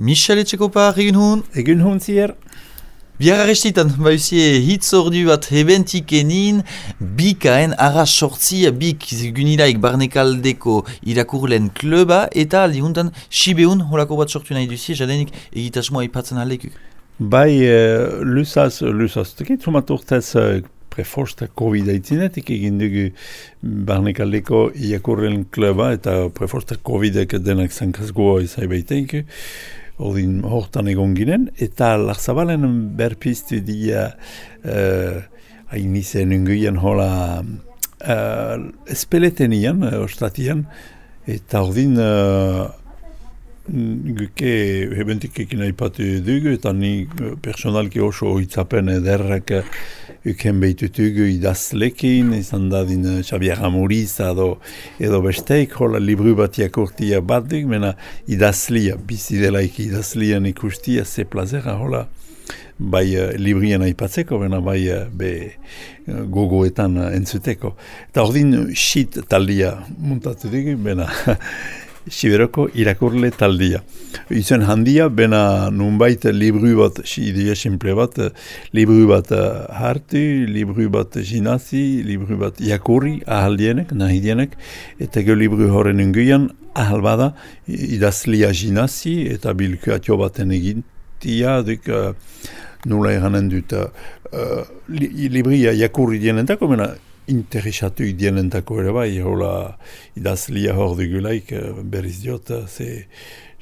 Michel Etxekopa, egun hon? Egun hon zier. Biara restitan, bauzie hitz ordu bat hebentik enin, bikaen arras sortzi, bik gunilaik barnekaldeko irakurlen kluba, eta aldi huntan Sibeun holako bat sortu nahi duzie, jadenik egitasmoa aipatzen aleku. Bai, lusaz tekit, sumat urtez preforsta COVID-19 egin dugu barnekaldeko irakurlen kluba, eta preforsta COVID-ek denak zankazgoa izai baiteik, ordin hortan egon ginen, eta Larzabalen berpiztu dia hain izen unguien hola espeleten ostatian, eta ordin guke hebentik ekin aipatu dugu, eta ni personalki oso hitzapen ederrak uken behitutugu idazlekin, izan dadin Xavier Amuriz edo besteik, hola libru bat jakurtia bat duk, mena idazlia, bizidelaik idazlian ikustia, ze plazera, hola, bai librien aipatzeko, mena bai gogoetan entzuteko. Eta ordin shit taldia muntatu dugu, mena Siberoko irakurle taldia. Izen handia, bena nunbait libru bat, idea simple bat, libru bat hartu, libru bat jinazi, libru bat jakurri, ahaldienek, nahidienek, eta ge libru horren unguian, ahal bada, idazlia jinazi, eta bilkuatio baten egintia, duk nula eranen dut, libria jakurri dienentako, bena, interesatu idienentako ere bai, hola idazlia hor dugulaik berriz diot, ze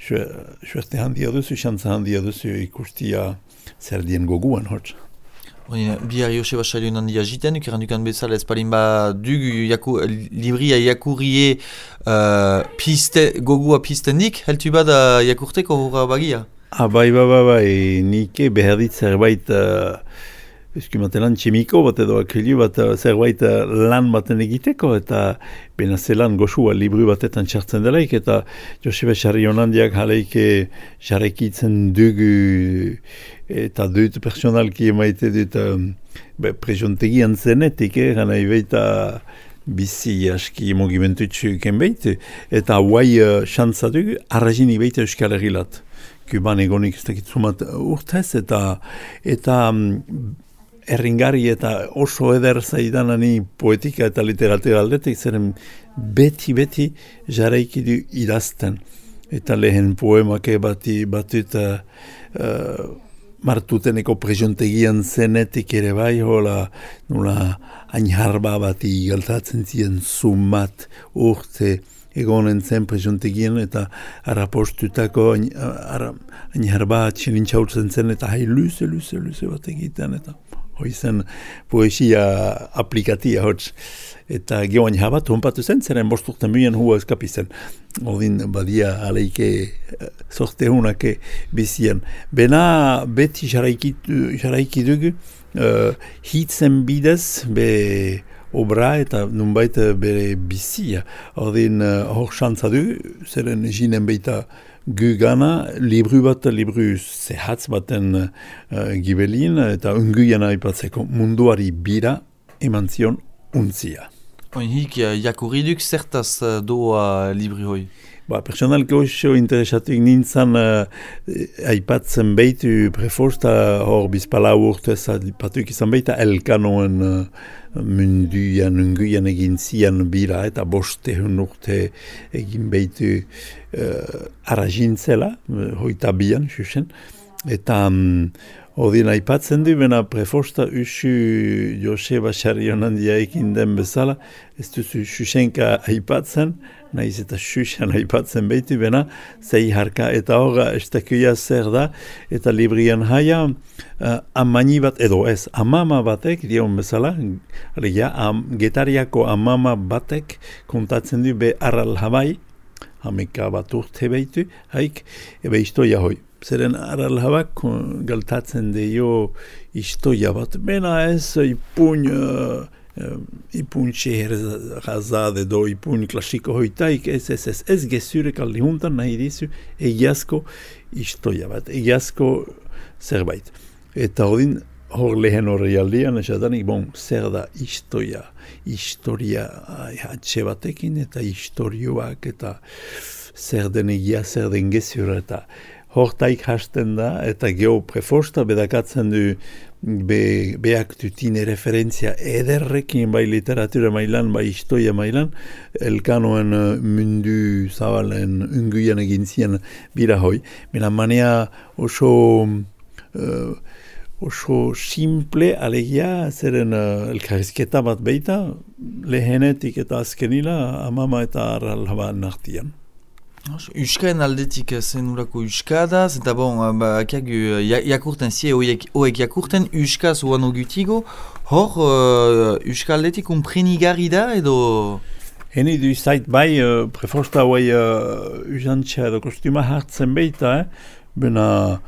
suerte handia duzu, xantza handia duzu ikustia zer dien goguan hotz. Bihar Joseba Sailun handia jiten, ukerandukan bezala ez palin ba dugu libria jakurrie gogua piztendik, heltu bada jakurteko horra bagia? Bai, nike behar dit zerbait eskumatelan tximiko bat edo akrilu bat zerbait lan baten egiteko, eta bena zelan goxua libru batetan txartzen delaik, eta Joseba Sarrionandiak jaleike jarrekitzen dugu eta dut personalki emaite dut prejontegian zenetik, gana ibeita bizi aski mogimendutsu kenbeit, eta guai xantza dugu arrazin ibeita Euskal Herrilat. Kuban egonik ez dakitzumat urtez, eta erringari eta oso eder zaidanani poetika eta literatura aldetik, zeren beti jarraiki du idazten. Eta lehen poemake batut martuteneko prejontegian zenetik ere bai, hola nula ainharba bati galtatzen ziren sumat urte egonen zen prejontegian, eta arrapostutako ainharba txilintxautzen zen, eta hai luze bat egiten, eta hoizen poesia aplikatia hotz. Eta geoan jabat honpatu zen, zeren bosturten muen hua eskapizen. Odin badia aleike sorte hunake bizian. Bena beti jaraiki dugu, hitzen bidez, be obra eta nunbait bere bizia. Odin hor xantza dugu, zeren jinen beita gu gana, libru zehatz baten gibelin, eta unguian aipatzeko munduari bira eman zion untzia. Hik jakurriduk zertaz doa libri hoi? Personalki oso interesatik nintzen aipatzen behitu preforsta hor bizpala urtez aipatuk izan behita elkanoen munduan, unguian egin zian bira, eta 500 urte egin behitu arrazintzela, hoita bian, xuxen. Eta odin aipatzen du, bena preforsta usu Joseba Sarrionandia ekin den bezala, ez duzu xuxenka aipatzen, nahiz eta xuxan aipatzen behitu, bena zei harka, eta horra estakuia zer da, eta librian haia amani bat, edo ez, amama batek, dion bezala, getariako amama batek kontatzen du be arral habai, hameka bat urte behitu, haik, ebe istoia hoi. Zeren arral habak galtatzen deio istoia bat, bena ez ipun xeherazade do ipun klasiko hoitaik, ez gezurek aldi juntan nahi dizu egiazko istoia bat, egiazko zerbait. Eta odin hor lehen horri aldian, esadanik, zer da historia hatxe batekin, eta historioak, eta zer den egia, zer den gezura, eta hortaik hasten da, eta geho prefosta bedakatzen du beak dutine referentzia ederrekin bai literatura mailan, bai historia mailan, elkanoen mundu zabalen unguian egin zien bira hoi. Mena manea oso simple alegia, zeren elkarrizketa bat beita, lehenetik eta azkenila, amama eta arralaba nartian. Euskaren aldetik zenurako euskadaz, eta jakurten zie hoek jakurten euskaz oan ogutigo, hor euskal aldetik unprenigarri da edo... Heni du zait bai, prefosta hoi usantxa edo kostuma hartzen beita, bena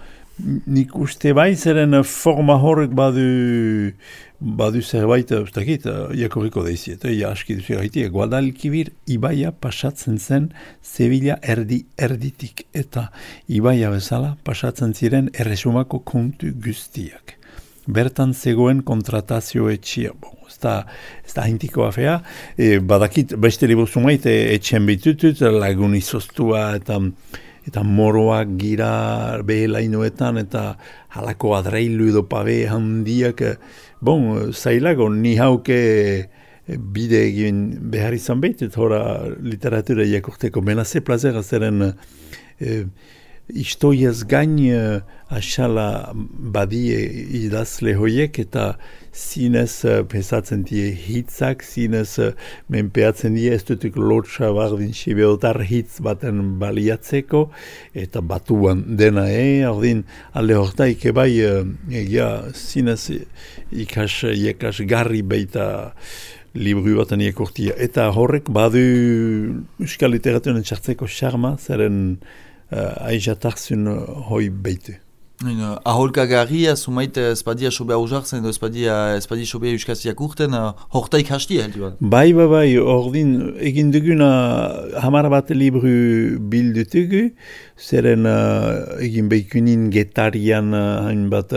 nik uste bai zeren forma horrek badu zerbait, ustakit, jakorriko daiziet, aski duzu gaitik, Guadalquivir ibaia pasatzen zen Sevilla erditik, eta ibaia bezala pasatzen ziren erresumako kontu guztiak. Bertan zegoen kontratazio etxia, ez da hintiko afea, badakit beste liburu zumait etxen bitutut, lagun izostua eta moroak gira behelainoetan, eta halako adreilu edo pabe handiak, zailago, ni hauke bide egin behar izan behitut, hora literatura jakurteko. Menaze plazera zeren historiaz gain asala badie idazle hoiek, eta zinez pesatzen die hitzak, zinez menpeatzen die ez dutuk lotxa bardin sibeotar hitz baten baliatzeko, eta batuan dena ordin alde hortaik bai egia zinez ikas garri baita libru baten iekortia. Eta horrek badu euskal literaturen txartzeko xarma, zeren aizatartzun hoi beitu. Aholka garria, sumait espadia sobea uzartzen, espadia sobea euskaz jakurten, hortaik hastia heldu bat. Bai, ordin egin duguna hamar bat libru bildutugu, zeren egin behikunin getarian hainbat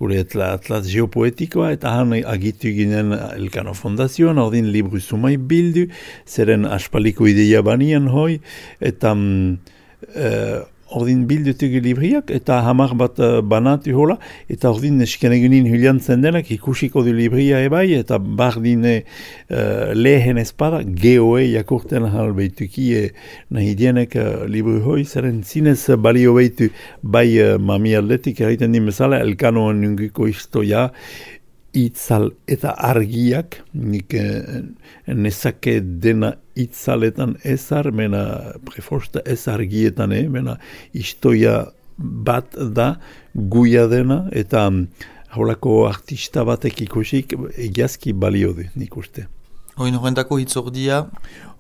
gure atlas geopoetikoa, eta han agitu ginen Elkano Fondazioan, ordin libru sumai bildu, zeren aspaliko ideia banian hoi, eta ordin bildutugu libriak, eta hamar bat banatu hola, eta ordin neskenegunin huliantzen denak ikusiko du libria ebai, eta bardine lehen espada, geoe jakurten hal behituki nahi dienek libru hoi, zeren zinez balio behitu bai mami aldetik egiten din bezala, Elkanoan nunguko historia, itzal eta argiak, nik nezake dena itzaletan ezar, mena prefosta ez argietan, mena historia bat da, guia dena, eta holako artista batek ikusik egiazki balio du, nik uste. Oin horrentako hitzordia?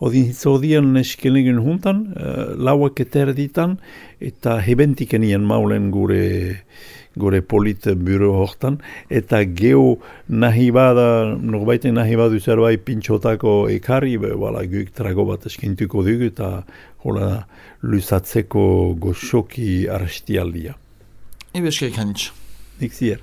Odin hitzordian eskenegun juntan, lauak eterditan, eta hebentikenian maulen gure polit buro hortan, eta geho nahi bada, norbaiten nahi badu zerbait pintxotako ekarri, guk trago bat eskintuko dugu, eta hola luzatzeko goxoki arstialdia. Ebe eskerik hanitz. Nik zier.